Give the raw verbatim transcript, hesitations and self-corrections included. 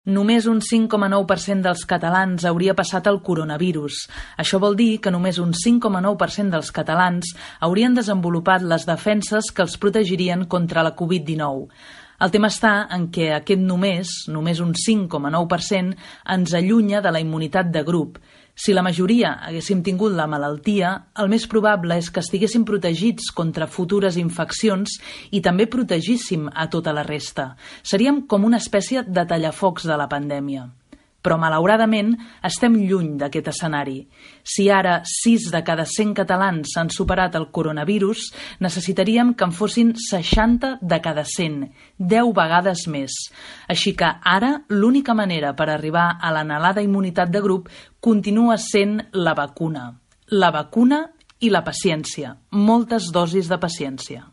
Només un cinc coma nou per cent dels catalans hauria passat el coronavirus. Això vol dir que només un cinc coma nou per cent dels catalans haurien desenvolupat les defenses que els protegirien contra la covid dinou. El tema està en què aquest només, només un cinc coma nou per cent, ens allunya de la immunitat de grup. Si la majoria haguéssim tingut la malaltia, el més probable és que estiguéssim protegits contra futures infeccions i també protegíssim a tota la resta. Seríem com una espècie de tallafocs de la pandèmia. Però, malauradament, estem lluny d'aquest escenari. Si ara sis de cada cent catalans han superat el coronavirus, necessitaríem que en fossin seixanta de cada cent, deu vegades més. Així que ara l'única manera per arribar a l'anhelada immunitat de grup continua sent la vacuna. La vacuna i la paciència, moltes dosis de paciència.